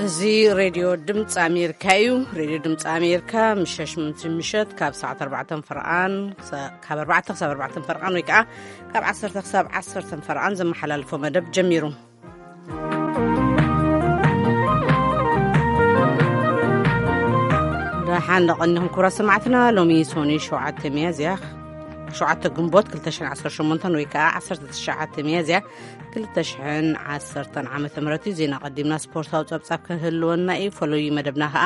እዚ ሬድዮ ድምፂ ኣሜሪካ እዩ። ሬድዮ ድምፂ ኣሜሪካ ምሸት ምሸት ካብ ሰዓት ኣርባዕተ ፈርቓን፣ ካብ ኣርባዕተ ክሳብ ኣርባዕተ ፈርቓን ወይ ከዓ ካብ ዓሰርተ ክሳብ ዓሰርተ ፈርቓን ዘመሓላልፎ መደብ ጀሚሩ። ደሓን ደቐኒኹም ክቡራት ሰማዕትና። ሎሚ ሶኒ ሸውዓተ ሚያዝያ፣ ሸውዓተ ግንቦት ክልተ ሽሕን ዓሰርተ ሸሞንተን ወይ ከዓ ዓሰርተ ትሽዓተ ሚያዝያ ክልተ ሽሕን ዓሰርተን ዓመተ ምህረት እዩ። ዜና ቀዲምና ስፖርታዊ ጸብጻብ ክህልወና እዩ። ፈለዩ መደብና ከዓ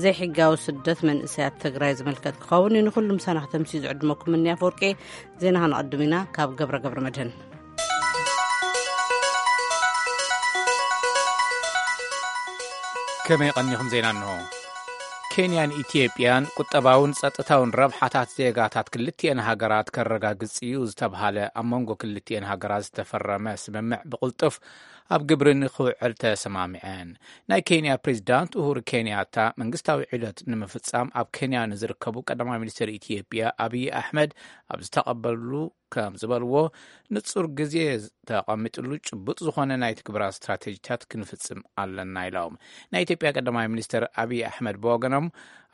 ዘይሕጋዊ ስደት መንእሰያት ትግራይ ዝምልከት ክኸውን እዩ። ንኹሉም ሰናኽተምሲ ዝዕድመኩም እኒ ኣፈወርቂ። ዜና ከነቐድም ኢና ካብ ገብረ ገብረ መድህን። ከመይ ቀኒኹም? ዜና እንሆ። ኬንያን ኢትዮጵያን ቁጠባውን ጸጥታውን ረብሓታት ዜጋታት ክልቲኤን ሃገራት ከረጋግጽ እዩ ዝተብሃለ ኣብ መንጎ ክልቲኤን ሃገራት ዝተፈረመ ስምምዕ ብቕልጡፍ ኣብ ግብሪ ንክውዕል ተሰማሚዐን። ናይ ኬንያ ፕሬዚዳንት ኡሁሩ ኬንያታ መንግስታዊ ዑደት ንምፍጻም ኣብ ኬንያ ንዝርከቡ ቀዳማይ ሚኒስትር ኢትዮጵያ ኣብይ ኣሕመድ ኣብ ዝተቐበሉ ከም ዝበልዎ፣ ንጹር ግዜ ተቐሚጥሉ ጭቡጥ ዝኾነ ናይ ትግበራ ስትራቴጂታት ክንፍጽም ኣለና ኢሎም። ናይ ኢትዮጵያ ቀዳማይ ሚኒስትር ኣብይ ኣሕመድ ብወገኖም፣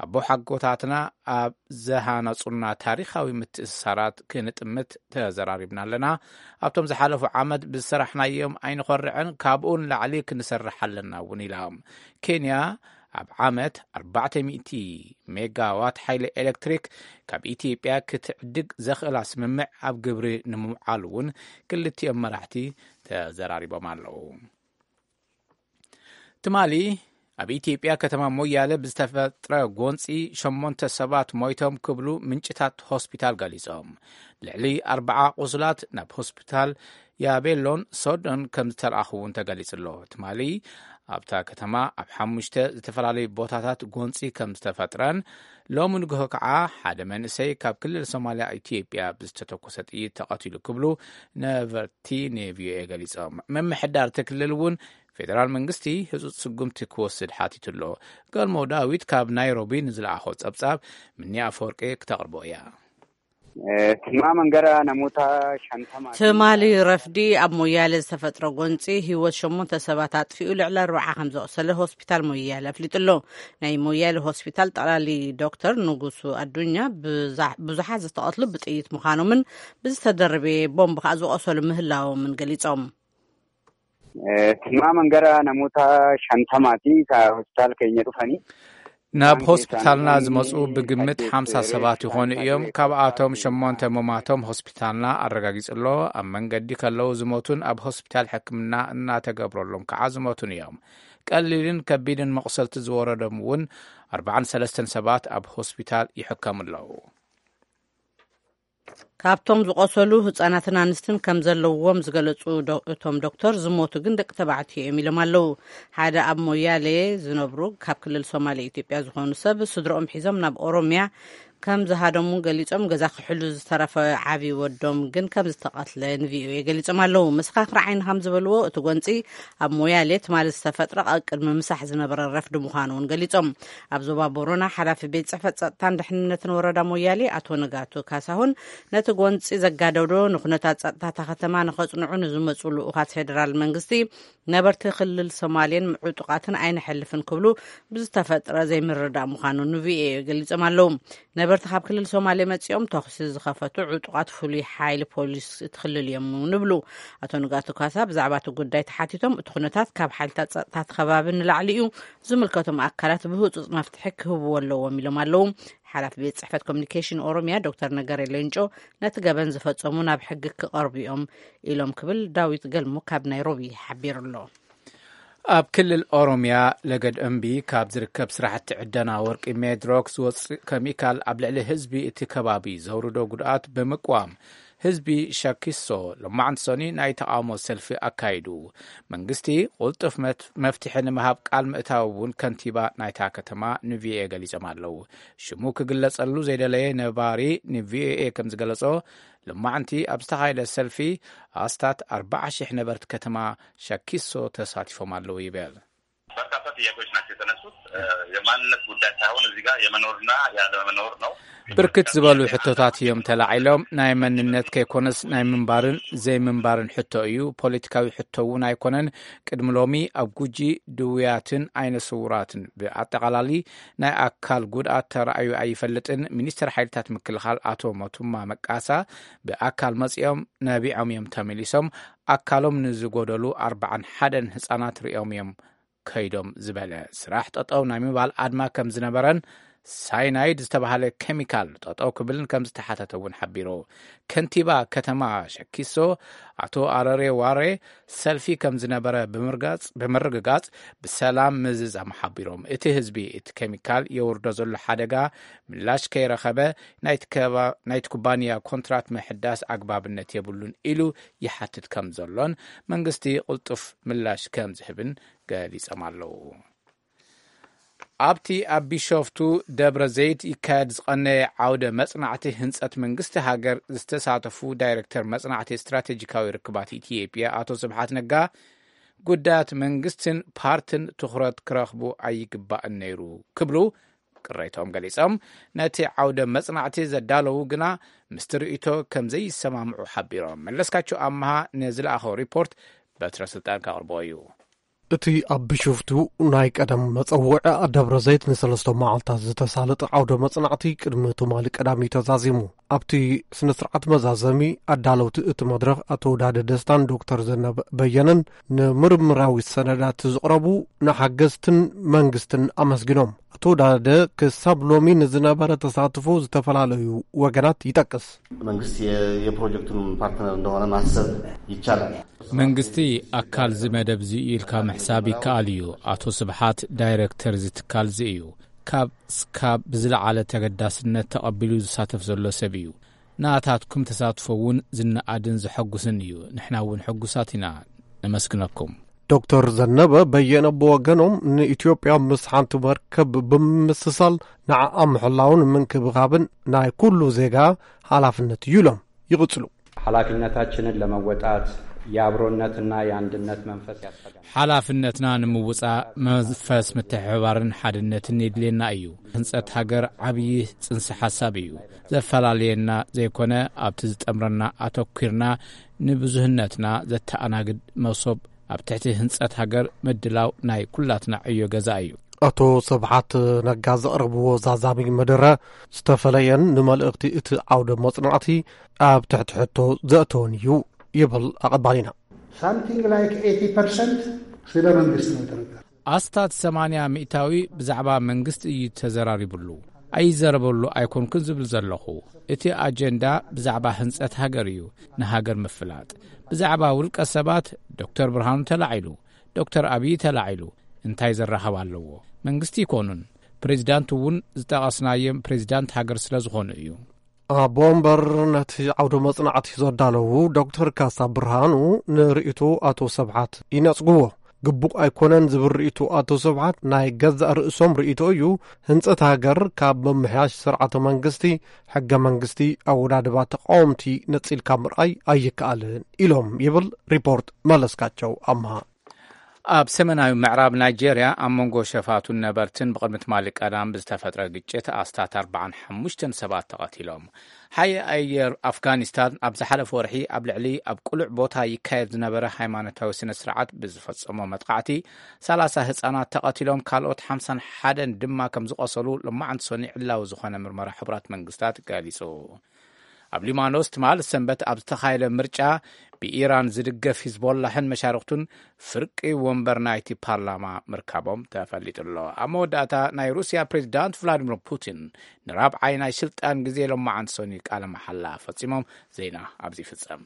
ኣቦሓጎታትና ኣብ ዝሃነጹልና ታሪኻዊ ምትእስሳራት ክንጥምት ተዘራሪብና ኣለና። ኣብቶም ዝሓለፉ ዓመት ብዝሰራሕናዮም ኣይንኾርዕን፣ ካብኡ ንላዕሊ ክንሰርሕ ኣለና እውን ኢሎም። ኬንያ ኣብ ዓመት ኣርባዕተ ሚእቲ ሜጋዋት ሓይሊ ኤሌክትሪክ ካብ ኢትዮጵያ ክትዕድግ ዘኽእላ ስምምዕ ኣብ ግብሪ ንምውዓል እውን ክልቲኦም መራሕቲ ተዘራሪቦም ኣለዉ። ትማሊ ኣብ ኢትዮጵያ ከተማ ሞያለ ብዝተፈጥረ ጎንፂ ሸሞንተ ሰባት ሞይቶም ክብሉ ምንጭታት ሆስፒታል ገሊጾም። ልዕሊ ኣርባዓ ቁስላት ናብ ሆስፒታል ያቤሎን ሶዶን ከም ዝተለኣኹ እውን ተገሊጹ ኣሎ። ትማሊ ኣብታ ከተማ ኣብ ሓሙሽተ ዝተፈላለዩ ቦታታት ጎንፂ ከም ዝተፈጥረን፣ ሎሚ ንግሆ ከዓ ሓደ መንእሰይ ካብ ክልል ሶማልያ ኢትዮጵያ ብዝተተኮሰ ጥይት ተቐቲሉ ክብሉ ነበርቲ ንቪኦኤ ገሊጾም። ምምሕዳር እቲ ክልል እውን ፌደራል መንግስቲ ህጹጽ ስጉምቲ ክወስድ ሓቲቱ ኣሎ። ገልሞ ዳዊት ካብ ናይሮቢ ንዝለኣኾ ጸብጻብ ምኒ ኣፈወርቂ ክተቕርቦ እያ። ትማ መንገራ ነሞታ ሸንተማ ትማሊ ረፍዲ ኣብ ሞያሌ ዝተፈጥረ ጎንፂ ህይወት ሸሞንተ ሰባት ኣጥፊኡ፣ ልዕሊ ኣርባዓ ከም ዘቑሰለ ሆስፒታል ሞያሌ ኣፍሊጡ ኣሎ። ናይ ሞያሌ ሆስፒታል ጠቕላሊ ዶክተር ንጉሱ ኣዱኛ፣ ብዙሓት ዝተቐትሉ ብጥይት ምዃኖምን ብዝተደረበ ቦምብ ከዓ ዝቆሰሉ ምህላዎምን ገሊጾም። ትማ መንገራ ነሞታ ሸንተማቲ ሆስፒታል ከኛ ዱፈኒ ናብ ሆስፒታልና ዝመፁ ብግምት ሓምሳ ሰባት ይኾኑ እዮም። ካብኣቶም ሸሞንተ ምማቶም ሆስፒታልና ኣረጋጊጹ ኣሎ። ኣብ መንገዲ ከለዉ ዝሞቱን ኣብ ሆስፒታል ሕክምና እናተገብረሎም ከዓ ዝሞቱን እዮም። ቀሊልን ከቢድን መቑሰልቲ ዝወረዶም እውን ኣርባዓን ሰለስተን ሰባት ኣብ ሆስፒታል ይሕከሙ ኣለዉ። ካብቶም ዝቆሰሉ ህጻናትን ኣንስትን ከም ዘለውዎም ዝገለጹ ዶ-፣ እቶም ዶክተር፣ ዝሞቱ ግን ደቂ ተባዕትዮ እዮም ኢሎም ኣለዉ። ሓደ ኣብ ሞያሌ ዝነብሩ ካብ ክልል ሶማሌ ኢትዮጵያ ዝኾኑ ሰብ ስድሮኦም ሒዞም ናብ ኦሮሚያ ከም ዝሃደሙ ገሊጾም፣ ገዛ ክሕሉ ዝተረፈ ዓቢ ወዶም ግን ከም ዝተቐትለ ንቪኦኤ ገሊጾም ኣለዉ። መሰኻኽር ዓይኒ ከም ዝበልዎ፣ እቲ ጎንጺ ኣብ ሞያሌ ትማሊ ዝተፈጥረ ኣብ ቅድሚ ምሳሕ ዝነበረ ረፍዲ ምዃኑ እውን ገሊጾም። ኣብ ዞባ ቦረና ሓላፊ ቤት ጽሕፈት ጸጥታን ድሕንነትን ወረዳ ሞያሌ ኣቶ ንጋቱ ካሳሁን፣ ነቲ ጎንጺ ዘጋደዶ ንኩነታት ጸጥታ እታ ከተማ ንኸጽንዑ ንዝመጹ ልኡኻት ፌደራል መንግስቲ፣ ነበርቲ ክልል ሶማሌን ዕጡቓትን ኣይንሐልፍን ክብሉ ብዝተፈጥረ ዘይምርዳእ ምዃኑ ንቪኦኤ ገሊጾም ኣለዉ። ነበርቲ ካብ ክልል ሶማሌ መጺኦም ተኹሲ ዝኸፈቱ ዕጡቓት ፍሉይ ሓይሊ ፖሊስ እቲ ክልል እዮም ንብሉ። ኣቶ ንጋቱ ካሳ ብዛዕባ እቲ ጉዳይ ተሓቲቶም፣ እቲ ኩነታት ካብ ሓይልታት ጸጥታ እቲ ከባቢ ንላዕሊ እዩ፣ ዝምልከቶም ኣካላት ብህጹጽ መፍትሒ ክህብዎ ኣለዎም ኢሎም ኣለዉ። ሓላፊ ቤት ጽሕፈት ኮሚኒኬሽን ኦሮሚያ ዶክተር ነገሬ ሌንጮ፣ ነቲ ገበን ዝፈጸሙ ናብ ሕጊ ክቐርቡ እዮም ኢሎም ክብል ዳዊት ገልሞ ካብ ናይሮቢ ሓቢሩ ኣሎ። ኣብ ክልል ኦሮሚያ ለገድ እምቢ ካብ ዝርከብ ስራሕቲ ዕደና ወርቂ ሜድሮክ ዝወፅእ ኬሚካል ኣብ ልዕሊ ህዝቢ እቲ ከባቢ ዘውርዶ ጉድኣት ብምቅዋም ህዝቢ ሻኪሶ ሎማዕንቲ ሰኒ ናይ ተቓውሞ ሰልፊ ኣካይዱ። መንግስቲ ቁልጡፍ መት-፣ መፍትሒ ንምሃብ ቃል ምእታው እውን ከንቲባ ናይታ ከተማ ንቪኦኤ ገሊጾም ኣለዉ። ሽሙ ክግለጸሉ ዘይደለየ ነባሪ ንቪኦኤ ከም ዝገለጾ፣ ሎማዕንቲ ኣብ ዝተኻየደ ሰልፊ ኣስታት ኣርባዓ ሺሕ ነበርቲ ከተማ ሻኪሶ ተሳቲፎም ኣለዉ ይብል። ጥያቄዎች ናቸው የተነሱት። የማንነት ጉዳይ ሳይሆን እዚህ ጋር የመኖርና ያለመኖር ነው። ብርክት ዝበሉ ሕቶታት እዮም ተላዒሎም። ናይ መንነት ከይኮነስ ናይ ምንባርን ዘይምንባርን ሕቶ እዩ። ፖለቲካዊ ሕቶ እውን ኣይኮነን። ቅድሚ ሎሚ ኣብ ጉጂ ድውያትን ዓይነ ስውራትን ብኣጠቓላሊ ናይ ኣካል ጉድኣት ተራእዩ ኣይፈልጥን። ሚኒስትር ሓይልታት ምክልኻል ኣቶ ሞቱማ መቃሳ ብኣካል መጺኦም ነቢዖም እዮም ተመሊሶም። ኣካሎም ንዝጎደሉ ኣርባዓን ሓደን ህጻናት ርእዮም እዮም ከይዶም ዝበለ ስራሕ ጠጠው ናይ ምባል ኣድማ ከም ዝነበረን ሳይናይድ ዝተባሃለ ኬሚካል ጠጠው ክብልን ከም ዝተሓተተ እውን ሓቢሩ። ከንቲባ ከተማ ሸኪሶ ኣቶ ኣረሬ ዋሬ ሰልፊ ከም ዝነበረ ብምርጋጽ- ብምርግጋጽ ብሰላም ምዝዛም ሓቢሮም። እቲ ህዝቢ እቲ ኬሚካል የውርዶ ዘሎ ሓደጋ ምላሽ ከይረኸበ ናይቲ ከባ- ናይቲ ኩባንያ ኮንትራት ምሕዳስ ኣግባብነት የብሉን ኢሉ ይሓትት ከም ዘሎን መንግስቲ ቅልጡፍ ምላሽ ከም ዝህብን ገሊጾም ኣለዉ። ኣብቲ ኣብ ቢሾፍቱ ደብረ ዘይት ይካየድ ዝቐነየ ዓውደ መጽናዕቲ ህንጸት መንግስቲ ሃገር ዝተሳተፉ ዳይሬክተር መጽናዕቲ ስትራቴጂካዊ ርክባት ኢትዮጵያ ኣቶ ስብሓት ነጋ ጉዳያት መንግስትን ፓርትን ትኹረት ክረኽቡ ኣይግባእን ነይሩ ክብሉ ቅሬታኦም ገሊጾም። ነቲ ዓውደ መጽናዕቲ ዘዳለዉ ግና ምስቲ ርእይቶ ከም ዘይሰማምዑ ሓቢሮም። መለስካቸው ኣምሃ ንዝለኣኸው ሪፖርት በትረ ስልጣን ከቕርቦ እዩ። እቲ ኣብ ቢሾፍቱ ናይ ቀደም መጸውዒ ደብረ ዘይት ንሰለስተ መዓልታት ዝተሳለጠ ዓውደ መጽናዕቲ ቅድሚ ትማሊ ቀዳሚ ተዛዚሙ። ኣብቲ ስነ ስርዓት መዛዘሚ ኣዳለውቲ እቲ መድረኽ ኣቶ ዳደ ደስታን ዶክተር ዘነብ በየነን ንምርምራዊ ሰነዳት ዝቕረቡ ንሓገዝትን መንግስትን ኣመስጊኖም። ኣቶ ዳደ ክሳብ ሎሚ ንዝነበረ ተሳትፎ ዝተፈላለዩ ወገናት ይጠቅስ። መንግስት የ- የፕሮጀክቱን ፓርትነር እንደሆነ ማሰብ ይቻላል። መንግስቲ ኣካል እዚ መደብ እዚ ኢልካ ምሕሳብ ይከኣል እዩ። ኣቶ ስብሓት ዳይሬክተር እዚ ትካል እዚ እዩ። ካብ ስካብ ብዝለዓለ ተገዳስነት ተቐቢሉ ዝሳተፍ ዘሎ ሰብ እዩ። ናታትኩም ተሳትፎ እውን ዝነኣድን ዘሐጉስን እዩ። ንሕና እውን ሕጉሳት ኢና። ነመስግነኩም። ዶክተር ዘነበ በየነ ብወገኖም ንኢትዮጵያ ምስ ሓንቲ መርከብ ብምምስሳል ንዓኣ ምሕላውን ምንክብኻብን ናይ ኩሉ ዜጋ ሓላፍነት እዩ ኢሎም ይቕጽሉ። ሓላፊነታችንን ለመወጣት የአብሮነትና የአንድነት መንፈስ ያስፈልጋል። ሓላፍነትና ንምውጻእ መንፈስ ምትሕብባርን ሓድነትን የድልየና እዩ። ህንጸት ሃገር ዓብዪ ጽንሰ ሓሳብ እዩ። ዘፈላለየና ዘይኮነ ኣብቲ ዝጠምረና ኣተኲርና ንብዙህነትና ዘተኣናግድ መሶብ ኣብ ትሕቲ ህንጸት ሃገር ምድላው ናይ ኩላትና ዕዮ ገዛ እዩ። ኣቶ ስብሓት ነጋ ዘቕረብዎ ዛዛሚ መደረ ዝተፈለየን ንመልእኽቲ እቲ ዓውደ መጽናዕቲ ኣብ ትሕቲ ሕቶ ዘእተወን እዩ ይብል ኣቐባሊና። ሳምቲንግ ላይክ ኤቲ ፐርሰንት ስለ መንግስት ነው የተነገረው። ኣስታት ሰማንያ ሚእታዊ ብዛዕባ መንግስቲ እዩ ተዘራሪብሉ። ኣይዘረበሉ ኣይኮንኩን ዝብል ዘለኹ። እቲ ኣጀንዳ ብዛዕባ ህንጸት ሃገር እዩ፣ ንሃገር ምፍላጥ። ብዛዕባ ውልቀ ሰባት ዶክተር ብርሃኑ ተላዒሉ፣ ዶክተር ኣብይ ተላዒሉ እንታይ ዘራኸብ ኣለዎ? መንግስቲ ይኮኑን ፕሬዚዳንት እውን ዝጠቐስናዮም ፕሬዚዳንት ሃገር ስለ ዝኾኑ እዩ። ኣቦ ወንበር ነቲ ዓውደ መጽናዕቲ ዘዳለዉ ዶክተር ካሳ ብርሃኑ ንርእይቶ ኣቶ ስብሓት ይነጽግዎ። ግቡእ ኣይኮነን ዝብል ርእይቶ ኣቶ ስብሓት ናይ ገዛእ ርእሶም ርእይቶ እዩ። ህንጸት ሃገር ካብ ምምሕያሽ ስርዓተ መንግስቲ፣ ሕገ መንግስቲ፣ ኣወዳድባ ተቃወምቲ ነጺልካ ምርኣይ ኣይከኣልን ኢሎም ይብል ሪፖርት መለስካቸው ኣምሃ። ኣብ ሰሜናዊ ምዕራብ ናይጄርያ ኣብ መንጎ ሸፋቱን ነበርትን ብቕድሚ ትማሊ ቀዳም ብዝተፈጥረ ግጭት ኣስታት ኣርባዓን ሓሙሽተን ሰባት ተቐቲሎም። ሓይሊ ኣየር ኣፍጋኒስታን ኣብ ዝሓለፈ ወርሒ ኣብ ልዕሊ ኣብ ቅሉዕ ቦታ ይካየድ ዝነበረ ሃይማኖታዊ ስነ ስርዓት ብዝፈጸሞ መጥቃዕቲ ሰላሳ ህጻናት ተቐቲሎም፣ ካልኦት ሓምሳን ሓደን ድማ ከም ዝቖሰሉ ሎማዓንቲ ሰኑይ ዕላዊ ዝኾነ ምርመራ ሕቡራት መንግስታት ገሊጹ። ኣብ ሊባኖስ ትማል ሰንበት ኣብ ዝተኻየደ ምርጫ ብኢራን ዝድገፍ ሂዝቦላህን መሻርክቱን ፍርቂ ወንበር ናይቲ ፓርላማ ምርካቦም ተፈሊጡ ኣሎ። ኣብ መወዳእታ ናይ ሩስያ ፕሬዚዳንት ቭላዲሚር ፑቲን ንራብዓይ ናይ ስልጣን ግዜ ሎማዓንቲ ሰኑይ ቃለ መሓላ ፈጺሞም። ዜና ኣብዚ ይፍጸም።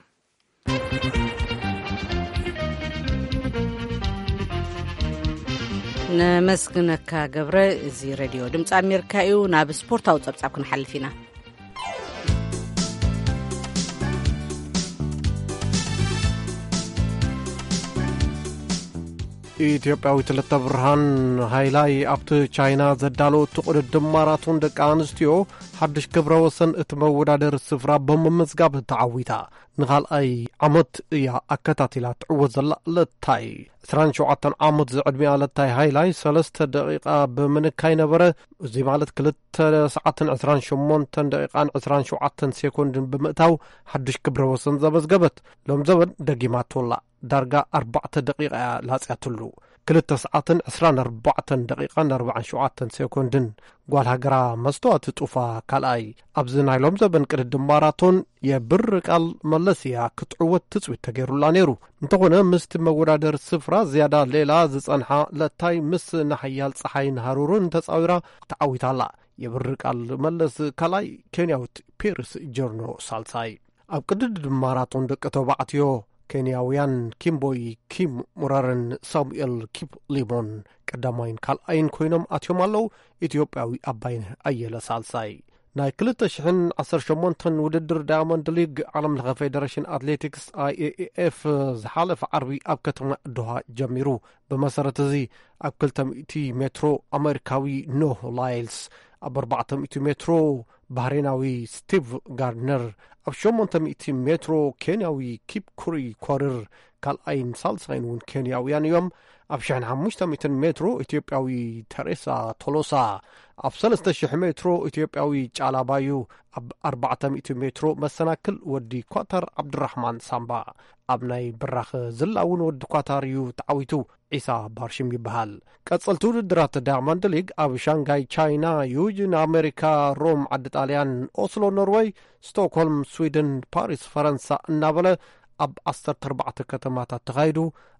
ነመስግነካ ገብረ። እዚ ሬድዮ ድምፂ ኣሜሪካ እዩ። ናብ ስፖርታዊ ፀብፃብ ክንሓልፍ ኢና። ኢትዮጵያዊት ክልተ ብርሃን ሃይላይ ኣብቲ ቻይና ዘዳለወቱ ቅድድም ማራቶን ደቂ ኣንስትዮ ሓድሽ ክብረ ወሰን እቲ መወዳደሪ ስፍራ ብምምዝጋብ ተዓዊታ። ንኻልኣይ ዓመት እያ ኣከታቲላ ትዕወት ዘላ ለታይ። ዕስራን ሸውዓተን ዓመት ዝዕድሚኣ ለታይ ሃይላይ ሰለስተ ደቂቓ ብምንካይ ነበረ። እዚ ማለት ክልተ ሰዓትን ዕስራን ሸሞንተን ደቂቓን ዕስራን ሸውዓተን ሴኮንድን ብምእታው ሓድሽ ክብረ ወሰን ዘመዝገበት። ሎም ዘበን ደጊማቶላ። ዳርጋ ኣርባዕተ ደቂቓ እያ ላጽያትሉ። ክልተ ሰዓትን ዕስራን ኣርባዕተን ደቂቓን ኣርባዓን ሸውዓተን ሴኮንድን። ጓል ሃገራ መስተዋት ጡፋ ካልኣይ። ኣብዚ ናይ ሎም ዘበን ቅድድም ማራቶን የብር ቃል መለስ እያ ክትዕወት ትጽቢት ተገይሩላ ነይሩ። እንተኾነ ምስቲ መወዳደሪ ስፍራ ዝያዳ ሌላ ዝጸንሓ ለታይ ምስ ንሓያል ጸሓይን ሃሩርን ተጻዊራ ተዓዊታላ። የብር ቃል መለስ ካልኣይ፣ ኬንያዊት ፔርስ ጆርኖ ሳልሳይ። ኣብ ቅድድም ማራቶን ደቂ ተባዕትዮ ኬንያውያን ኪምቦይ ኪም ሙራርን ሳሙኤል ኪፕሊሞን ቀዳማይን ካልኣይን ኮይኖም ኣትዮም ኣለዉ። ኢትዮጵያዊ ኣባይነህ ኣየለ ሳልሳይ። ናይ ክልተ ሽሕን ዓሰርተ ሸሞንተን ውድድር ዳያመንድ ሊግ ዓለም ለኸ ፌደሬሽን ኣትሌቲክስ ኣይ ኤ ኤፍ ዝሓለፈ ዓርቢ ኣብ ከተማ ዶሃ ጀሚሩ። ብመሰረት እዚ ኣብ ክልተ ሚእቲ ሜትሮ ኣሜሪካዊ ኖህ ላይልስ፣ ኣብ ኣርባዕተ ሚእቲ ሜትሮ ባህሬናዊ ስቲቭ ጋርድነር፣ ኣብ ሸሞንተ ሚእቲ ሜትሮ ኬንያዊ ኪፕ ኩሪ ኮርር፣ ካልኣይን ሳልሳይን እውን ኬንያውያን እዮም። ኣብ ሽሕን ሓሙሽተ ሚእትን ሜትሮ ኢትዮጵያዊ ተሬሳ ቶሎሳ፣ ኣብ ሰለስተ ሽሕ ሜትሮ ኢትዮጵያዊ ጫላ ባዩ፣ ኣብ ኣርባዕተ ሚእቲ ሜትሮ መሰናክል ወዲ ኳታር ዓብዱራሕማን ሳምባ፣ ኣብ ናይ ብራኸ ዝላ እውን ወዲ ኳታር እዩ ተዓዊቱ። ዒሳ ባርሽም ይበሃል። ቀጸልቲ ውድድራት ዳያመንድ ሊግ ኣብ ሻንጋይ ቻይና፣ ዩጂን ኣሜሪካ፣ ሮም ዓዲ ጣልያን፣ ኦስሎ ኖርወይ፣ ስቶክሆልም ስዊድን፣ ፓሪስ ፈረንሳ እናበለ ኣብ ዓሰርተ ኣርባዕተ ከተማታት ተኻይዱ፣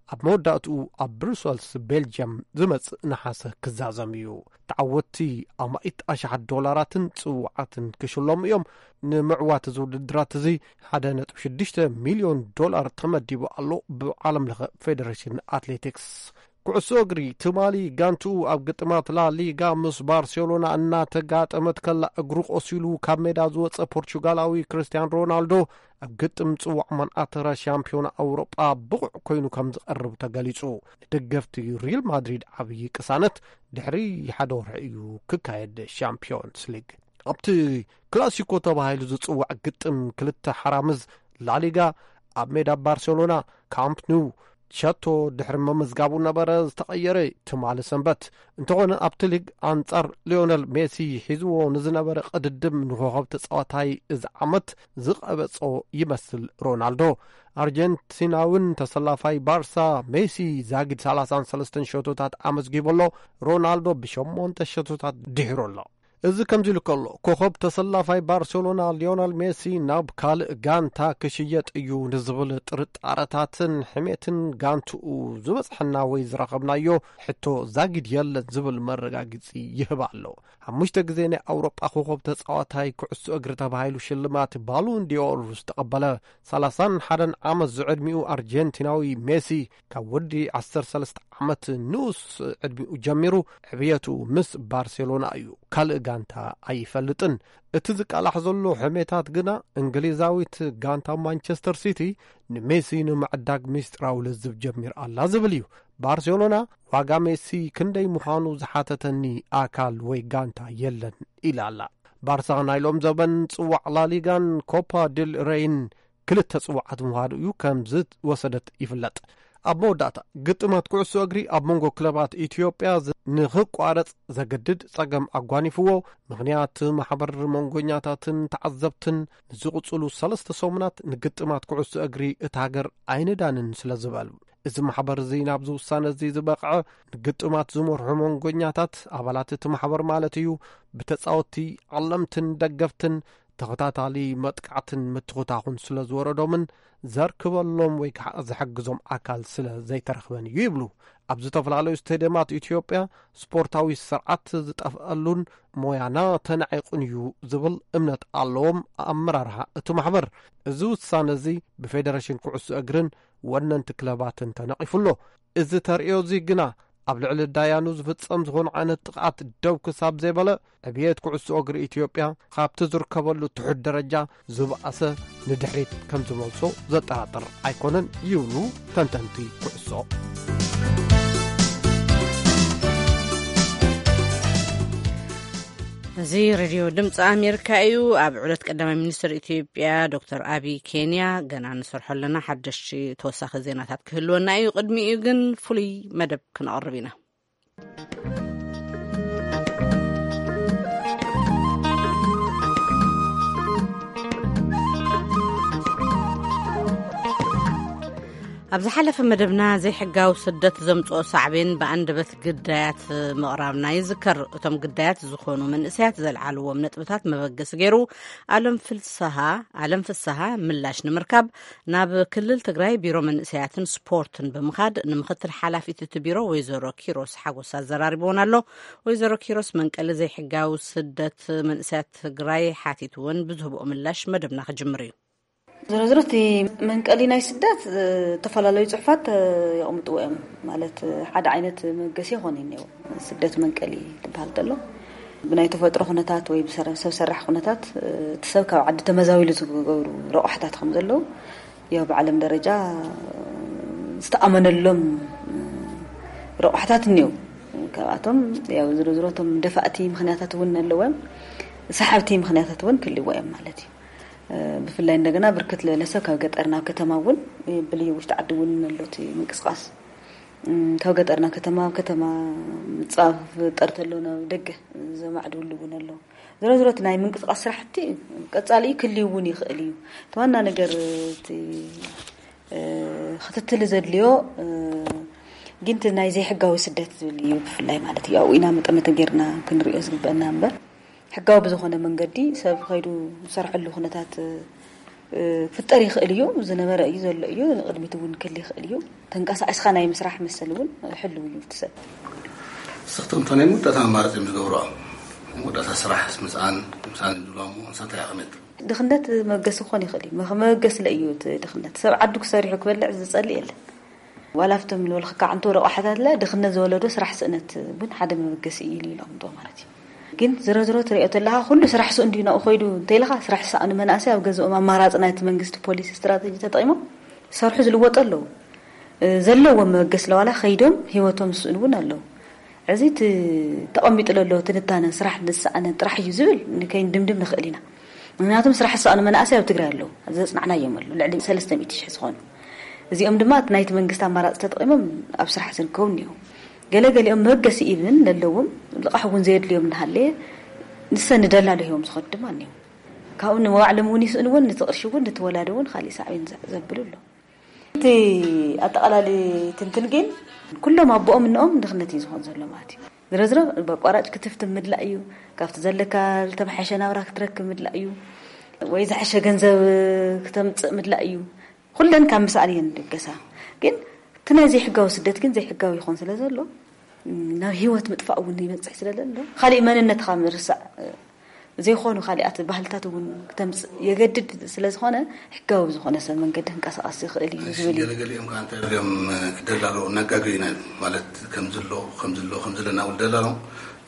ኣብ መወዳእትኡ ኣብ ብሩሰልስ ቤልጅየም ዝመጽእ ነሓሰ ክዛዘም እዩ። ተዓወትቲ ኣማኢት ኣሽሓት ዶላራትን ጽዋዓትን ክሽለሙ እዮም። ንምዕዋት እዚ ውድድራት እዚ ሓደ ነጥቢ ሽዱሽተ ሚልዮን ዶላር ተመዲቡ ኣሎ ብዓለም ለኸ ፌደሬሽን ኣትሌቲክስ። ኩዕሶ እግሪ ትማሊ ጋንትኡ ኣብ ግጥማት ላ ሊጋ ምስ ባርሴሎና እናተጋጠመት ከላ እግሩ ቆሲሉ ካብ ሜዳ ዝወጸ ፖርቹጋላዊ ክርስቲያን ሮናልዶ ኣብ ግጥም ጽዋዕ መንኣተረ ሻምፒዮን ኣውሮጳ ብቑዕ ኮይኑ ከም ዝቐርብ ተገሊጹ። ንደገፍቲ ሪል ማድሪድ ዓብዪ ቅሳነት። ድሕሪ ሓደ ወርሒ እዩ ክካየድ ሻምፒዮንስ ሊግ። ኣብቲ ክላሲኮ ተባሂሉ ዝጽዋዕ ግጥም ክልተ ሓራምዝ ላሊጋ ኣብ ሜዳ ባርሴሎና ካምፕ ኑ ሸቶ ድሕሪ ምምዝጋቡ ነበረ ዝተቐየረ ትማሊ ሰንበት። እንተኾነ ኣብቲ ሊግ ኣንጻር ሊዮነል ሜሲ ሒዝዎ ንዝነበረ ቅድድም ንኮኸብ ተጻዋታይ እዚ ዓመት ዝቐበጾ ይመስል ሮናልዶ። ኣርጀንቲናውን ተሰላፋይ ባርሳ ሜሲ ዛጊድ ሰላሳን ሰለስተን ሸቶታት ኣመዝጊቡ ኣሎ። ሮናልዶ ብሸሞንተ ሸቶታት ድሒሩ ኣሎ። እዚ ከምዚ ኢሉ ከሎ፣ ኮኸብ ተሰላፋይ ባርሴሎና ሊዮነል ሜሲ ናብ ካልእ ጋንታ ክሽየጥ እዩ ንዝብል ጥርጣረታትን ሕሜትን ጋንትኡ ዝበጽሐና ወይ ዝረኸብናዮ ሕቶ ዛጊድ የለን ዝብል መረጋግጺ ይህብ ኣሎ። ሓሙሽተ ግዜ ናይ ኣውሮጳ ኮኸብ ተጻዋታይ ኩዕሶ እግሪ ተባሂሉ ሽልማት ባሎን ዲኦር ዝተቐበለ ሰላሳን ሓደን ዓመት ዝዕድሚኡ ኣርጀንቲናዊ ሜሲ፣ ካብ ወዲ ዓሰርተ ሰለስተ ዓመት ንኡስ ዕድሚኡ ጀሚሩ ዕብየቱ ምስ ባርሴሎና እዩ። ካልእ ጋንታ ኣይፈልጥን። እቲ ዝቃላሕ ዘሎ ሕሜታት ግና እንግሊዛዊት ጋንታ ማንቸስተር ሲቲ ንሜሲ ንምዕዳግ ሚስጥራዊ ልዝብ ጀሚር ኣላ ዝብል እዩ። ባርሴሎና ዋጋ ሜሲ ክንደይ ምዃኑ ዝሓተተኒ ኣካል ወይ ጋንታ የለን ኢላ ኣላ። ባርሳ ናይ ሎም ዘበን ጽዋዕ ላሊጋን ኮፓ ድል ሬይን ክልተ ጽዋዓት ምውሃዱ እዩ ከም ዝወሰደት ይፍለጥ። ኣብ መወዳእታ፣ ግጥማት ኩዕሶ እግሪ ኣብ መንጎ ክለባት ኢትዮጵያ ዝ-፣ ንኽቋረጽ ዘገድድ ጸገም ኣጓኒፍዎ። ምኽንያት ማሕበር መንጎኛታትን ተዓዘብትን ንዝቕጽሉ ሰለስተ ሰሙናት ንግጥማት ኩዕሶ እግሪ እታ ሃገር ኣይንዳንን ስለ ዝበሉ። እዚ ማሕበር እዚ ናብዚ ውሳነ እዚ ዝበቕዐ ንግጥማት ዝመርሑ መንጎኛታት፣ ኣባላት እቲ ማሕበር ማለት እዩ፣ ብተጻወትቲ፣ ዓለምትን ደገፍትን ተኸታታሊ መጥቃዕትን ምትኹታኹን ስለ ዝወረዶምን ዘርክበሎም ወይ ከዓ ዝሕግዞም ኣካል ስለ ዘይተረኽበን እዩ ይብሉ። ኣብ ዝተፈላለዩ ስቴድየማት ኢትዮጵያ ስፖርታዊ ስርዓት ዝጠፍአሉን ሞያና ተናዒቑን እዩ ዝብል እምነት ኣለዎም ኣመራርሓ እቲ ማሕበር። እዚ ውሳነ እዚ ብፌደሬሽን ኩዕሶ እግርን ወነንቲ ክለባትን ተነቒፉ ኣሎ። እዚ ተርእዮ እዚ ግና ኣብ ልዕሊ ዳያኑ ዝፍጸም ዝኾነ ዓይነት ጥቕዓት ደው ክሳብ ዘይበለ፣ ዕብየት ኩዕሶ እግሪ ኢትዮጵያ ካብቲ ዝርከበሉ ትሑት ደረጃ ዝበኣሰ ንድሕሪት ከም ዝመልሶ ዘጠራጥር ኣይኮነን ይብሉ ተንተንቲ ኩዕሶ። እዚ ሬድዮ ድምፂ ኣሜሪካ እዩ። ኣብ ዕለት ቀዳማይ ሚኒስትር ኢትዮጵያ ዶክተር ኣቢ ኬንያ ገና ንሰርሖ ኣለና። ሓደሽቲ ተወሳኺ ዜናታት ክህልወና እዩ። ቅድሚኡ ግን ፍሉይ መደብ ክነቕርብ ኢና። ኣብ ዝሓለፈ መደብና ዘይሕጋዊ ስደት ዘምፅኦ ሳዕቤን ብኣንደበት ግዳያት ምቕራብና ይዝከር። እቶም ግዳያት ዝኾኑ መንእሰያት ዘልዓልዎም ነጥብታት መበገሲ ገይሩ ኣለም ፍስሃ ኣለም ፍስሃ ምላሽ ንምርካብ ናብ ክልል ትግራይ ቢሮ መንእሰያትን ስፖርትን ብምኻድ ንምክትል ሓላፊት እቲ ቢሮ ወይዘሮ ኪሮስ ሓጎስ ኣዘራሪብዎን ኣሎ። ወይዘሮ ኪሮስ መንቀሊ ዘይሕጋዊ ስደት መንእሰያት ትግራይ ሓቲትዎን ብዝህብኦ ምላሽ መደብና ክጅምር እዩ። ዝሮ ዝሮ እቲ መንቀሊ ናይ ስደት ዝተፈላለዩ ፅሑፋት የቕምጥዎ እዮም። ማለት ሓደ ዓይነት መገሲ ይኾን እኒው ስደት መንቀሊ ትበሃል ተሎ ብናይ ተፈጥሮ ኩነታት ወይ ሰብ ሰራሕ ኩነታት እቲ ሰብ ካብ ዓዲ ተመዛዊሉ ዝገብሩ ረቑሕታት ከም ዘለዉ ያው ብዓለም ደረጃ ዝተኣመነሎም ረቑሕታት እኒው። ካብኣቶም ያው ዝሮ ዝሮ እቶም ደፋእቲ ምክንያታት እውን ኣለዎም፣ ሰሓብቲ ምክንያታት እውን ክልዎ እዮም ማለት እዩ። ብፍላይ እንደገና ብርክት ዝበለ ሰብ ካብ ገጠር ናብ ከተማ እውን ብልዩ ውሽጢ ዓዲ እውን ኣሎ እቲ ምንቅስቃስ። ካብ ገጠር ናብ ከተማ፣ ኣብ ከተማ ምፅባብ ክፍጠር ተሎ ናብ ደገ ዘማዕድውሉ እውን ኣሎ። ዝሮ ዝሮ እቲ ናይ ምንቅስቃስ ስራሕቲ ቀፃሊ ክልዩ እውን ይኽእል እዩ። እቲ ዋና ነገር እቲ ክትትል ዘድልዮ ግን እቲ ናይ ዘይሕጋዊ ስደት ዝብል እዩ ብፍላይ ማለት እዩ። ኣብኡ ኢና መጠመተ ጌርና ክንሪኦ ዝግበአና እምበር ሕጋዊ ብዝኾነ መንገዲ ሰብ ከይዱ ዝሰርሐሉ ኩነታት ክፍጠር ይኽእል እዩ። ዝነበረ እዩ ዘሎ እዩ። ንቕድሚት እውን ክል ይኽእል እዩ። ተንቀሳቒስካ ናይ ምስራሕ መሰል እውን ሕልው እዩ እቲ ሰብ። ስኽቲ እንተናይ መወዳእታ ኣማራፂ እዮም ዝገብርኦ። መወዳእታ ስራሕ ምስኣን ምስኣን ይብልዋ እሞ ንሳ እንታይ ኣቐመጥ? ድኽነት መገሲ ክኾን ይኽእል እዩ። መ- መበገሲ ለ እዩ እቲ ድኽነት። ሰብ ዓዱ ክሰሪሑ ክበልዕ ዝጸልእ የለን። ዋላ ኣብቶም ንበልኽካ ዕንቶ ረቋሕታት ለ ድኽነት ዝወለዶ ስራሕ ስእነት እውን ሓደ መበገሲ እዩ ኢሉ ኢሎም ዶ ማለት እዩ። ግን ዝሮ ዝሮ ትሪኦ ተለኻ ኩሉ ስራሕ ስኡ እንዲዩ ናብኡ ኮይዱ እንተኢልኻ ስራሕ ዝሰኣኑ መናእሰይ ኣብ ገዝኦም ኣማራፂ ናይቲ መንግስቲ ፖሊሲ ስትራተጂ ተጠቂሞም ሰርሑ ዝልወጡ ኣለዉ። ዘለዎም መበገሲ ለዋላ ከይዶም ህይወቶም ዝስእኑ እውን ኣለዉ። እዚ እቲ ተቐሚጡ ለሎ ትንታነን ስራሕ ንዝሰኣነ ጥራሕ እዩ ዝብል ንከይንድምድም ንኽእል ኢና። ምክንያቱም ስራሕ ዝሰኣኑ መናእሰይ ኣብ ትግራይ ኣለዉ። ዘጽናዕናዮም ኣለዉ። ልዕሊ ሰለስተ ሚእቲ ሽሕ ዝኾኑ። እዚኦም ድማ እቲ ናይቲ መንግስቲ ኣማራፂ ተጠቒሞም ኣብ ስራሕ ዝርከቡ እኒኦ። ገለገሊኦም መበገሲ ኢብን ለለዎም ልቓሕ እውን ዘየድልዮም እናሃለየ ንሰ ንደላሎ ሂቦም ዝኸዱ ድማ እኒኦ። ካብኡ ንመባዕሎም እውን ይስእንዎን ነቲ ቅርሺ እውን ንተወላደ እውን ካሊእ ሳዕቤን ዘ- ዘብሉ ኣሎ። እቲ ኣጠቓላሊ ትንትን ግን ኩሎም ኣቦኦም እኖኦም ድኽነት እዩ ዝኾን ዘሎ ማለት እዩ። ዝረዝረ በቋራጭ ክትፍትም ምድላእ እዩ። ካብቲ ዘለካ ዝተመሓሸ ናብራ ክትረክብ ምድላእ እዩ። ወይ ዝሐሸ ገንዘብ ክተምፅእ ምድላእ እዩ። ኩለን ካብ ምስኣል እየን ድገሳ። ግን እቲ ናይ ዘይሕጋዊ ስደት ግን ዘይሕጋዊ ይኾን ስለ ዘሎ ናብ ህይወት ምጥፋእ እውን ይበፅሕ ስለ ዘሎ ካሊእ መንነትካ ምርሳዕ ዘይኮኑ ካሊኣት ባህልታት እውን ክተምፅእ የገድድ ስለ ዝኾነ ሕጋዊ ብዝኾነ ሰብ መንገዲ ክንቀሳቐስ ይኽእል እዩ ዝብል እዩ። ገለገሊኦም ከዓ እንታይ እዮም ደላሎ እናጋገዩና እዮም ማለት ከምዝሎ ከምዝሎ ከምዝለና ውል ደላሎ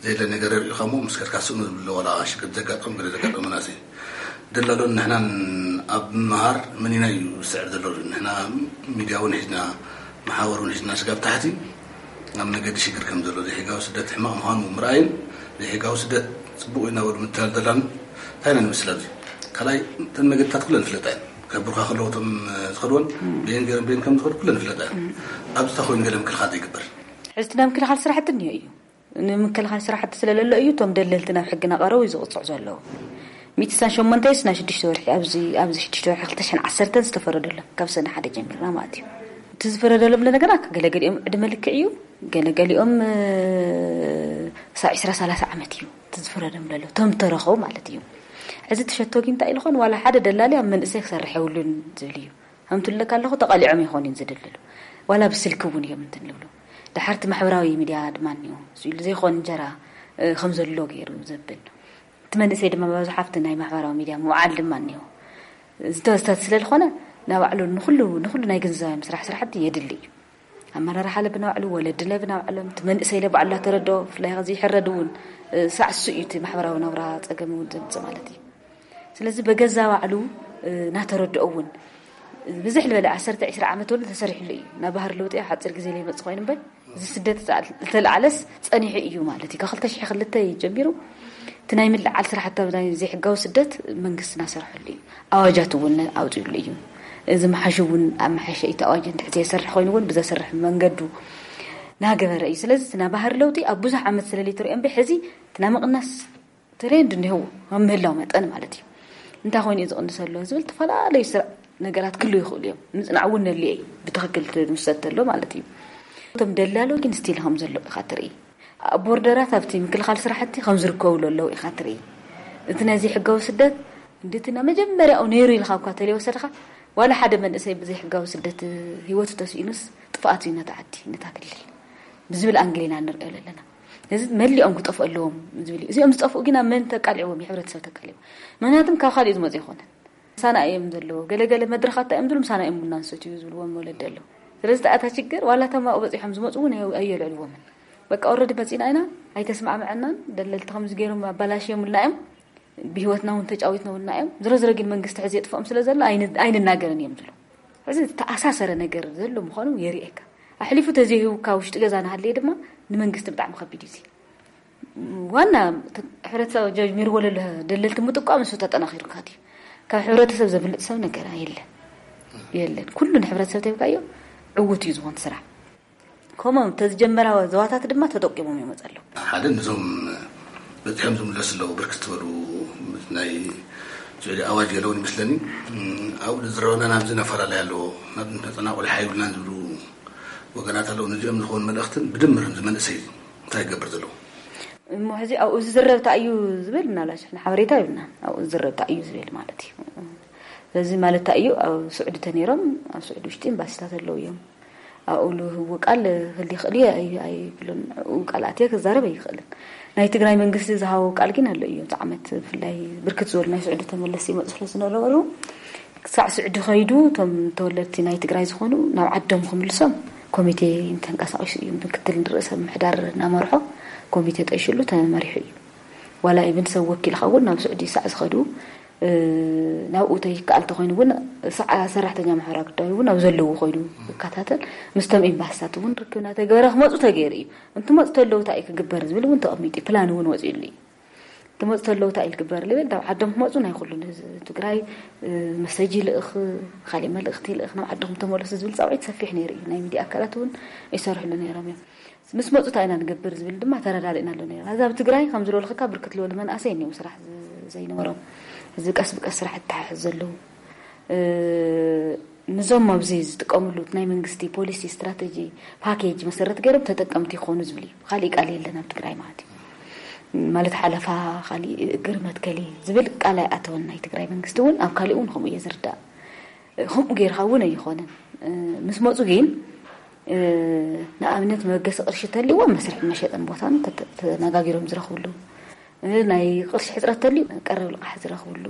ዘየለ ነገር ሪኢኻ እሞ ምስ ከድካ ስእኑ ዝብሎ ዋላ ሽግር ዘጋጠም ገለ ዘጋጠመ ናሲ ደላሎን ንሕናን ኣብ ምምሃር መኒና እዩ ዝስዕር ዘሎ። ንሕና ሚድያ እውን ሒዝና መሓወር እውን ሒዝና ስጋብ ታሕቲ ኣብ መገዲ ሽግር ከም ዘሎ ዘይሕጋዊ ስደት ሕማቕ ምዃኑ ምርኣይን ዘይሕጋዊ ስደት ፅቡቕ እዩ እናበሉ ምትላል ደላን እንታይ ኢና ንመስል ኣብዚ ካልኣይ እተን መገድታት ኩለን ፍለጣ እየን ከብሩካ ከለዉ እቶም ዝኸድወን በየን ገይረን በየን ከም ዝኸዱ ኩለን ፍለጣ እየን ኣብዚ እንታይ ኮይኑ ገለ ምክልኻል ዘይግበር ሕዝቲ ናይ ምክልኻል ስራሕቲ እኒኦ እዩ ንምክልኻል ስራሕቲ ስለለሎ እዩ እቶም ደለልቲ ናብ ሕጊ ናቐረቡ እዩ ዝቕፅዑ ዘለዉ ሚእቲ ስሳን ሸሞንተ ስና ሽዱሽተ ወርሒ ኣብዚ ኣብዚ ሽዱሽተ ወርሒ ክልተ ሽሕን ዓሰርተን ዝተፈረደሎም ካብ ሰነ ሓደ ጀሚርና ማለት እዩ እቲ ዝፈረደሎም ለነገራ ገለገሊኦም ዕድመ ልክዕ እዩ ገለገሊኦም ሳ ዕስራ ሰላሳ ዓመት እዩ እቲ ዝፈረዶም ለሎ እቶም ተረኸቡ ማለት እዩ እዚ ትሸቶ ግን እንታይ ኢልኾን ዋላ ሓደ ደላሊ ኣብ መንእሰይ ክሰርሕ የብሉን ዝብል እዩ ከምትለካ ኣለኹ ተቓሊዖም ይኾን እዩ ዝድልሉ ዋላ ብስልኪ እውን እዮም እንትን ይብሉ ድሓርቲ ማሕበራዊ ሚድያ ድማ እኒኦ ስኢሉ ዘይኮን እንጀራ ከም ዘሎ ገይሩ ዘብል እቲ መንእሰይ ድማ መብዛሓፍቲ ናይ ማሕበራዊ ሚድያ ምውዓል ድማ እኒኦ ዝተወሰት ስለ ዝኾነ ናባዕሉ ንኩሉ ንኩሉ ናይ ግንዛቤ ምስራሕ ስራሕቲ የድሊ እዩ ኣመራርሓ ለብና ባዕሉ ወለዲ ለብና ባዕሎም እቲ መንእሰይ ለባዕሉ እናተረድኦ ብፍላይ ከዚ ይሕረድ እውን ሳዕሱ እዩ እቲ ማሕበራዊ ናብራ ፀገም እውን ዘምፅእ ማለት እዩ ስለዚ በገዛ ባዕሉ እናተረድኦ እውን ብዝሕ ዝበለ ዓሰርተ ዕስራ ዓመት ወሉ ተሰሪሕሉ እዩ ናብ ባህር ለውጢ ሓፂር ግዜ ለይመፅእ ኮይኑ እምበር እዚ ስደት ዝተለዓለስ ፀኒሑ እዩ ማለት እዩ ካብ ክልተ ሽሕ ክልተ ጀሚሩ እቲ ናይ ምልዓል ስራሕቲ ኣብ ናይ ዘይሕጋዊ ስደት መንግስትና ሰርሐሉ እዩ። ኣዋጃት እውን ኣውፅኡሉ እዩ። እዚ መሓሽ እውን ኣብ መሓሸ እቲ ኣዋጅ እንድሕር ዘይሰርሕ ኮይኑ እውን ብዘሰርሕ መንገዱ ናገበረ እዩ። ስለዚ እቲ ናይ ባህሪ ለውጢ ኣብ ብዙሕ ዓመት ስለለይትሪኦ እምበር ሕዚ እቲ ናይ ምቕናስ ትሬንድ እኒህዎ ኣብ ምህላው መጠን ማለት እዩ። እንታይ ኮይኑ እዩ ዝቕንሰሎ ዝብል ዝተፈላለዩ ስራ- ነገራት ክህሉ ይኽእሉ እዮም። ምፅናዕ እውን ነድልዮ እዩ። ብትኽክል ትምሰል ተሎ ማለት እዩ። እቶም ደላሎ ግን ስቲል ከም ዘሎ ኢኻ ትርኢ። ኣብ ቦርደራት ኣብቲ ምክልኻል ስራሕቲ ከም ዝርከቡ ኣለዉ ኢኻ ትርኢ። እቲ ነዚ ሕጋዊ ስደት እንድቲ ናብ መጀመርያኡ ነይሩ ኢልካ እኳ ተለይወሰድካ ዋላ ሓደ መንእሰይ ብዘይ ሕጋዊ ስደት ህይወቱ ተስኢኑስ ጥፍኣት እዩ ነታ ዓዲ ነታ ክልል ብዝብል ኣንግል ኢና ንርእዮ ዘለና። እዚ መሊኦም ክጠፍኡ ኣለዎም ዝብል እዩ። እዚኦም ዝጠፍኡ ግን ኣብ መን ተቃልዕዎም? የሕብረተሰብ ተቃልዕዎም። ምክንያቱም ካብ ካልእ ዝመፁ ይኮነን ሳና እዮም ዘለዎ። ገለገለ መድረኻት እዮም ዝብሉ ምሳና እዮም ቡና ንሰትዩ ዝብልዎም ወለዲ ኣለዉ። ስለዚ ተኣታ ችግር ዋላ ተማኡ በፂሖም ዝመፁ እውን ኣየ- ኣየልዕልዎምን። በቃ ኦረዲ መፂና ኢና ኣይተስማዕመዐናን ደለልቲ ከምዚ ገይሮም ኣባላሽዮምልና እዮም። ብህይወትና እውን ተጫዊትነውልና እዮም። ዝሮ ዝሮ ግን መንግስቲ ሕዚ የጥፍኦም ስለ ዘሎ ኣይን- ኣይንናገርን እዮም ዝብሉ። እዚ ዝተኣሳሰረ ነገር ዘሎ ምዃኑ የርእየካ። ኣሕሊፉ ተዘይህውካ ውሽጢ ገዛ ንሃለየ ድማ ንመንግስቲ ብጣዕሚ ከቢድ እዩ። ዋና ሕብረተሰብ ጀሚርዎ ለሎ ደለልቲ ምጥቋም እሱ ተጠናኺሩ ካት እዩ። ካብ ሕብረተሰብ ዘምልጥ ሰብ ነገር የለን የለን። ኩሉ ንሕብረተሰብ ተብካዮ ዕውት እዩ ዝኾን ስራሕ። ከምኦም ተዝጀመራ ዘዋታት ድማ ተጠቂሞም እዮም መፀ ኣለዉ። ሓደ ነዞም በፂሖም ዝምለሱ ኣለዉ ብርክት ዝበሉ ናይ ስዑዲ ኣዋጅ ገለውን ይመስለኒ። ኣብኡ ዝረበና ናብዚ ነፈላለይ ኣለዎ ናብ ተፀናቑል ሓይብልናን ዝብሉ ወገናት ኣለዉ። ነዚኦም ዝኾኑ መልእኽትን ብድምር እዚ መንእሰይ እንታይ ይገብር ዘለዉ? እሞ ሕዚ ኣብኡ ዝዝረብ እንታይ እዩ ዝብል ምናልባት ሽሕና ሓበሬታ ይብልና ኣብኡ ዝዝረብ እንታይ እዩ ዝብል ማለት እዩ። ስለዚ ማለት እንታይ እዩ ኣብ ስዑዲ ተነይሮም ኣብ ስዑዲ ውሽጢ ኤምባሲታት ኣለዉ እዮም። ኣብኡ ልህቡ ቃል ክል ይኽእል እዩ ኣይብሉን። ቃል ኣትየ ክዛረብ ኣይኽእልን። ናይ ትግራይ መንግስቲ ዝሃቦ ቃል ግን ኣሎ እዩ። እዚ ዓመት ብፍላይ ብርክት ዝበሉ ናይ ስዑዲ ተመለስቲ ይመፁ ስለ ዝነበሩ ክሳዕ ስዑዲ ከይዱ እቶም ተወለድቲ ናይ ትግራይ ዝኾኑ ናብ ዓዶም ክምልሶም ኮሚቴ ተንቀሳቂሱ እዩ። ምክትል ርእሰ ምምሕዳር እናመርሖ ኮሚቴ ጠይሽሉ ተመሪሑ እዩ። ዋላ ኢብን ሰብ ወኪልካ እውን ናብ ስዑዲ ሳዕ ዝኸዱ ናብኡ ተይከኣል ተኮይኑ እውን ሳዕ ሰራሕተኛ ማሕበራዊ ጉዳይ እውን ኣብ ዘለዉ ኮይኑ ይከታተል። ምስቶም ኤምባስታት እውን ርክብ እናተገበረ ክመፁ ተገይሩ እዩ። እንትመፁ ተለዉ እንታይ እዩ ክግበር ዝብል እውን ተቐሚጡ እዩ። ፕላን እውን ወፂኡሉ እዩ። ትመፁ ተለዉ እንታይ እዩ ክግበር ዝብል ናብ ዓዶም ክመፁ ናይ ኩሉ ንህዝቢ ትግራይ መሰጅ ይልእኽ፣ ካሊእ መልእኽቲ ይልእኽ ናብ ዓድኹም ተመለሱ ዝብል ፃውዒት ሰፊሕ ነይሩ እዩ። ናይ ሚድያ ኣካላት እውን ይሰርሕሉ ነይሮም እዮም። ምስ መፁ እንታይ ኢና ንገብር ዝብል ድማ ተረዳዲእናሉ ነይርና። እዛ ኣብ ትግራይ ከም ዝበልኽካ ብርክት ዝበሉ መናእሰይ እኒው ስራሕ ዘይነበሮም፣ እዚ ቀስ ብቀስ ስራሕ እተሓሕዝ ዘለዉ ንዞም ኣብዚ ዝጥቀምሉ ናይ መንግስቲ ፖሊሲ ስትራተጂ ፓኬጅ መሰረት ገይሮም ተጠቀምቲ ይኾኑ ዝብል እዩ። ካሊእ ቃል የለን ኣብ ትግራይ ማለት እዩ። ማለት ሓለፋ ካሊእ እግር መትከሊ ዝብል ቃል ኣይኣተወን። ናይ ትግራይ መንግስቲ እውን ኣብ ካሊእ እውን ከምኡ እየ ዝርዳእ። ከምኡ ገይርካ እውን ኣይኾነን። ምስ መፁ ግን ንኣብነት መበገሲ ቅርሺ ተልዎም መስርሒ መሸጥን ቦታን ተነጋጊሮም ዝረኽብሉ ናይ ቅርሺ ሕፅረት ተልዩ ቀረብ ልቃሕ ዝረኽብሉ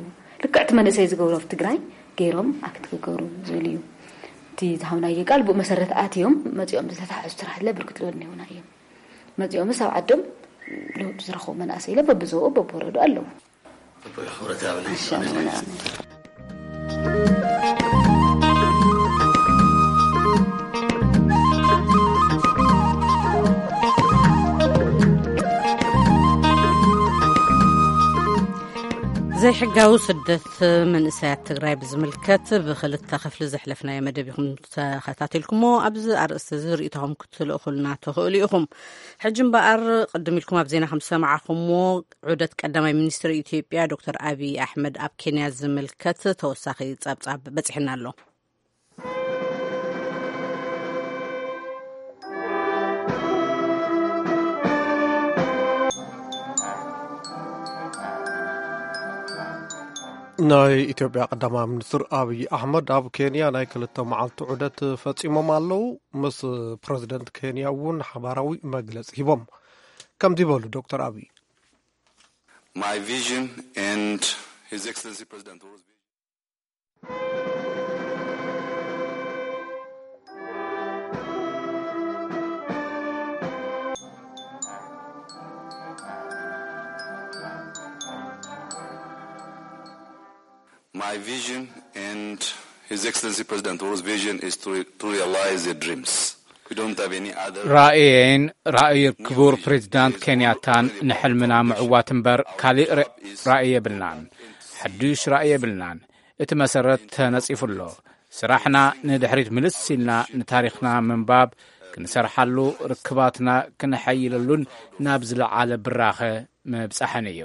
ልክዕቲ መንእሰይ ዝገብሮ ኣብ ትግራይ ገይሮም ኣክት ክገብሩ ዝብል እዩ። እቲ ዝሃብናዮ ቃል ብኡ መሰረት ኣትዮም መፂኦም ዝተታሕዙ ስራሕ ለ ብርክት ዝበሉ ነይሩና እዮም። መፂኦምስ ኣብ ዓዶም ለውጢ ዝረኽቡ መናእሰይ ለ በብዞኡ በብወረዱ ኣለዉ። ዘይሕጋዊ ስደት መንእሰያት ትግራይ ብዝምልከት ብክልተ ክፍሊ ዘሕለፍናዮ መደብ ኢኹም ተኸታቲልኩሞ። ኣብዚ ኣርእስቲ እዚ ርእይቶኹም ክትልእኹልና ትኽእሉ ኢኹም። ሕጂ እምበኣር ቅድም ኢልኩም ኣብ ዜና ከም ዝሰማዕኹምዎ ዑደት ቀዳማይ ሚኒስትር ኢትዮጵያ ዶክተር ኣብይ ኣሕመድ ኣብ ኬንያ ዝምልከት ተወሳኺ ጸብጻብ በጺሕና ኣሎ። ናይ ኢትዮጵያ ቀዳማይ ሚኒስትር ኣብይ ኣሕመድ ኣብ ኬንያ ናይ ክልተ መዓልቲ ዑደት ፈጺሞም ኣለዉ። ምስ ፕረዚደንት ኬንያ እውን ሓባራዊ መግለጺ ሂቦም። ከምዚ በሉ ዶክተር ኣብይ። My vision and His Excellency President Uhuru My vision and His Excellency President Uhru's vision is to, to realize the dreams. ራእየይን ራእይ ክቡር ፕሬዚዳንት ኬንያታን ንሕልምና ምዕዋት እምበር ካሊእ ር- ራእይ የብልናን። ሓዱሽ ራእይ የብልናን። እቲ መሰረት ተነጺፉ ኣሎ። ስራሕና ንድሕሪት ምልስ ኢልና ንታሪኽና ምንባብ፣ ክንሰርሓሉ፣ ርክባትና ክነሐይለሉን ናብ ዝለዓለ ብራኸ ምብጻሕን እዩ።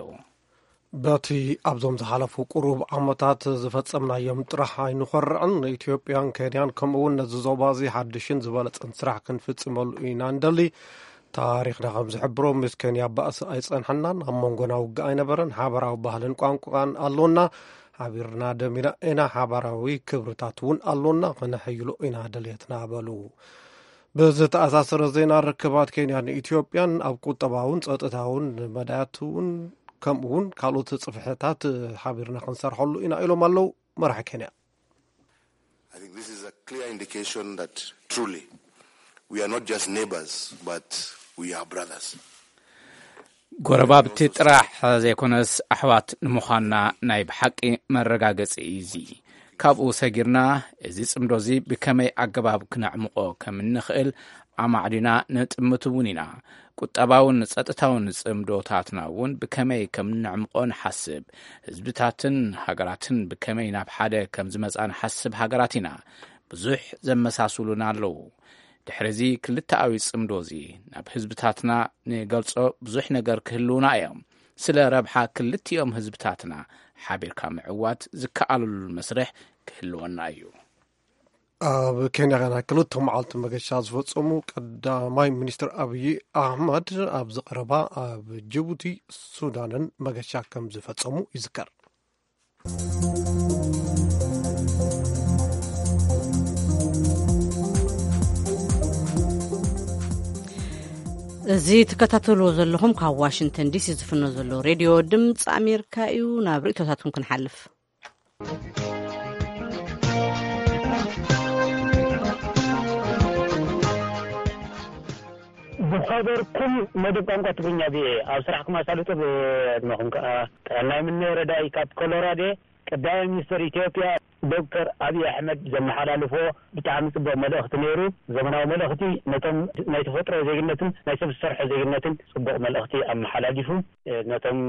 በቲ ኣብዞም ዝሓለፉ ቁሩብ ዓመታት ዝፈጸምናዮም ጥራሕ ኣይንኾርዕን። ንኢትዮጵያን ኬንያን ከምኡውን ነዚ ዞባ እዚ ሓድሽን ዝበለጸን ስራሕ ክንፍጽመሉ ኢና እንደሊ። ታሪኽና ከም ዝሕብሮ ምስ ኬንያ ባእሲ ኣይጸንሐናን፣ ኣብ መንጎና ውግእ ኣይነበረን፣ ሓበራዊ ባህልን ቋንቋን ኣሎና፣ ሓቢርና ደሚና ኢና፣ ሓባራዊ ክብርታት እውን ኣሎና፣ ክነሐይሎ ኢና ደልየትና በሉ። ብዝተኣሳሰረ ዜና ርክባት ኬንያን ኢትዮጵያን ኣብ ቁጠባውን ጸጥታውን መዳያት እውን ከምኡ እውን ካልኦት ጽፍሕታት ሓቢርና ክንሰርሐሉ ኢና ኢሎም ኣለዉ መራሒ ኬንያ። I think this is a clear indication that truly we are not just neighbors, but we are brothers. ጎረባብቲ ጥራሕ ዘይኮነስ ኣሕዋት ንምዃንና ናይ ብሓቂ መረጋገጺ እዩ እዚ። ካብኡ ሰጊርና እዚ ጽምዶ እዚ ብከመይ ኣገባብ ክነዕምቖ ከም እንኽእል ኣማዕዲና ንጥምት እውን ኢና። ቁጠባውን ጸጥታውን ጽምዶታትና እውን ብከመይ ከም ነዕምቖ ንሓስብ። ህዝብታትን ሃገራትን ብከመይ ናብ ሓደ ከም ዝመጻ ንሓስብ ሃገራት ኢና። ብዙሕ ዘመሳስሉና ኣለዉ። ድሕሪ እዚ ክልተኣዊ ጽምዶ እዚ ናብ ህዝብታትና ንገልጾ ብዙሕ ነገር ክህልውና እዮም። ስለ ረብሓ ክልቲኦም ህዝብታትና ሓቢርካ ምዕዋት ዝከኣለሉ መስርሕ ክህልወና እዩ። ኣብ ኬንያ ናይ ክልተ መዓልቲ መገሻ ዝፈጸሙ ቀዳማይ ሚኒስትር ኣብይ ኣሕመድ ኣብዚ ቀረባ ኣብ ጅቡቲ ሱዳንን መገሻ ከም ዝፈጸሙ ይዝከር። እዚ ትከታተልዎ ዘለኹም ካብ ዋሽንግተን ዲሲ ዝፍኖ ዘሎ ሬድዮ ድምፂ ኣሜሪካ እዩ። ናብ ርእቶታትኩም ክንሓልፍ። ዝኸበርኩም መደብ ቋንቋ ትግርኛ ቪኦኤ፣ ኣብ ስራሕኩም ኣሳልጦ ብዕድመኹም ከኣ ጥዕና ይምነ። ረዳኢ ካብ ኮሎራዶ። ቀዳማይ ሚኒስተር ኢትዮጵያ ዶክተር ኣብይ ኣሕመድ ዘመሓላልፎ ብጣዕሚ ጽቡቕ መልእኽቲ ነይሩ። ዘመናዊ መልእኽቲ፣ ነቶም ናይ ተፈጥሮ ዜግነትን ናይ ሰብ ዝሰርሖ ዜግነትን ጽቡቕ መልእኽቲ ኣመሓላሊፉ። ነቶም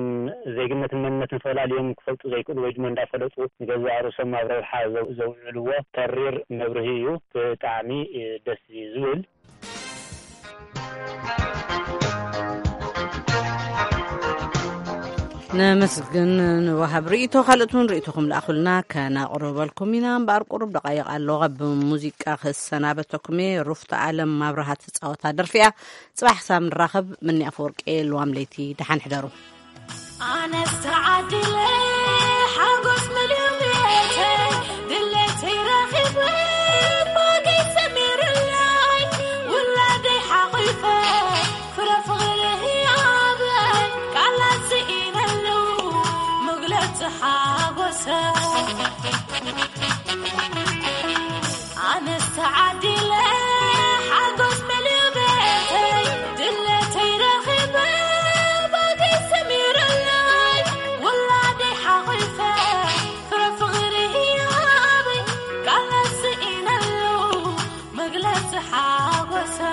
ዜግነትን መንነትን ፈላልዮም ክፈልጡ ዘይክእሉ ወይ ድማ እንዳፈለጡ ንገዛእ ርእሶም ኣብ ረብሓ ዘው-፣ ዘውዕልዎ ተሪር መብርሂ እዩ። ብጣዕሚ ደስ እዩ ዝብል። ነመስግን። ንወሃብ ርእይቶ ካልኦት እውን ርእይቶኹም ለኣኹልና ከነቕርበልኩም ኢና። እምበኣር ቁሩብ ደቃይቕ ኣሎ። ካብ ሙዚቃ ክሰናበተኩም እየ። ሩፍታ ኣለም ኣብርሃ ትጻወታ ደርፊ እያ። ጽባሕ ክሳብ ንራኸብ፣ ምኒ ኣፈወርቂ፣ ልዋም ለይቲ፣ ደሓን ሕደሩ። ኣነስ ተዓዲለ ሓጎስ መሊኡ ቤተይ፣ ድሌተይ ረኺበ፣ ባገይ ሰሚሩለይ፣ ውላደይ ሓቒፈ፣ ፍረ ፍቕሪ ህያበይ፣ ቃላት ስኢነሉ፣ መግለጺ ሓጎሰይ። ኣነስ ተዓዲለ ሓጎስ መሊኡ ቤተይ፣ ድሌተይ ረኺበ፣ ባገይ ሰሚሩለይ፣ ውላደይ ሓቒፈ፣ ፍረ ፍቕሪ ህያበይ፣ ቃላት ስኢነሉ፣ መግለጺ ሓጎሰይ።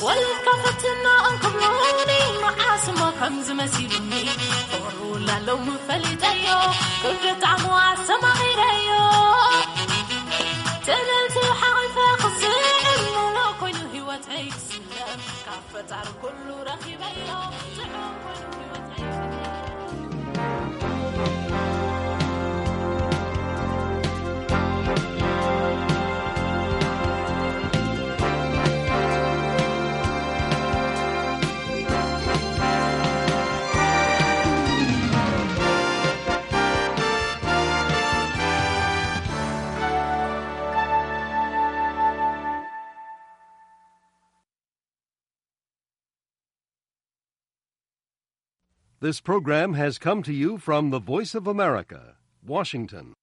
ወለድካ ፈትና እንክብሉኒ፣ መዓስ እሞ ከምዚ መሲሉኒ። ፍቕሪ ውላሎም ፈሊጠዮ፣ ክብደት ጣዕሙ ኣስተማቒረዮ። ትምልቲ ሓቒፈ ክስዕም፣ ሙሉእ ኮይኑ ህይወተይ ክስለም። ካብ ፈጣሪ ኩሉ ረኺበዮ፣ ጥዑም ኮይኑ ህይወተይ ክስለም። This program has come to you from the Voice of America, Washington.